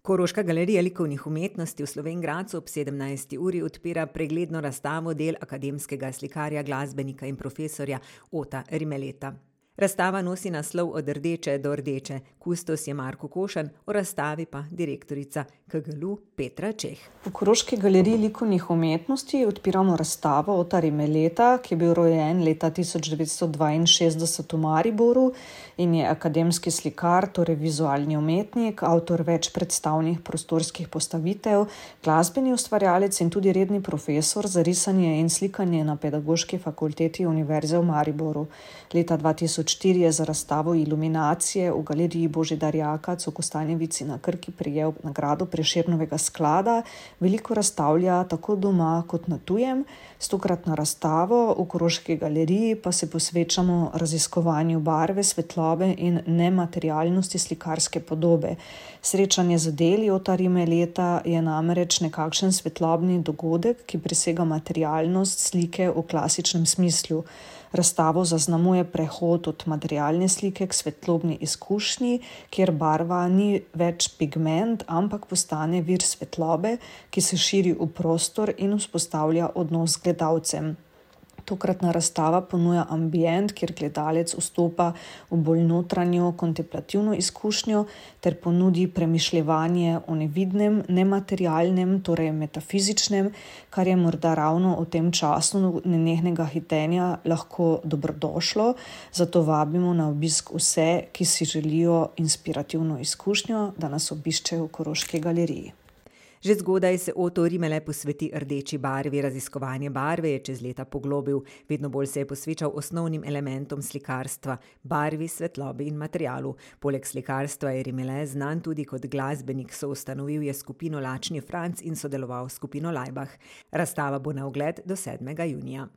Koroška galerija likovnih umetnosti v Slovenj Gradcu ob 17. uri odpira pregledno razstavo del akademskega slikarja, glasbenika in profesorja Ota Rimeleta. Razstava nosi naslov Od rdeče do rdeče, kustos je Marko Košan, o razstavi pa direktorica KGLU Petra Čeh. V Koroški galeriji likovnih umetnosti odpiramo razstavo Ota Rimeleta, ki je bil rojen leta 1962 v Mariboru in je akademski slikar, torej vizualni umetnik, avtor več predstavnih prostorskih postavitev, glasbeni ustvarjalec in tudi redni profesor za risanje in slikanje na Pedagoški fakulteti Univerze v Mariboru. Leta 2004 je za razstavo Iluminacije v galeriji Božidar Jakac v Kostanjevici na Krki prejel nagrado Prešernovega sklada. Veliko razstavlja tako doma kot na tujem. S tokratno razstavo v Koroški galeriji pa se posvečamo raziskovanju barve, svetlobe in nematerialnosti slikarske podobe. Srečanje z deli Ota Rimeleta je namreč nekakšen svetlobni dogodek, ki presega materialnost slike v klasičnem smislu. Razstavo zaznamuje prehod od materialne slike k svetlobni izkušnji, kjer barva ni več pigment, ampak postane vir svetlobe, ki se širi v prostor in vzpostavlja odnos z gledalcem. Tokratna razstava ponuja ambient, kjer gledalec vstopa v bolj notranjo kontemplativno izkušnjo ter ponudi premišljevanje o nevidnem, nematerialnem, torej metafizičnem, kar je morda ravno v tem času nenehnega hitenja lahko dobrodošlo. Zato vabimo na obisk vse, ki si želijo inspirativno izkušnjo, da nas obiščejo v Koroški galeriji. Že zgodaj se Oto Rimele posveti rdeči barvi. Raziskovanje barve je čez leta poglobil. Vedno bolj se je posvečal osnovnim elementom slikarstva, barvi, svetlobi in materialu. Poleg slikarstva je Rimele znan tudi kot glasbenik. Soustanovil je skupino Lačni Franc in sodeloval s skupino Laibach. Razstava bo na ogled do 7. junija.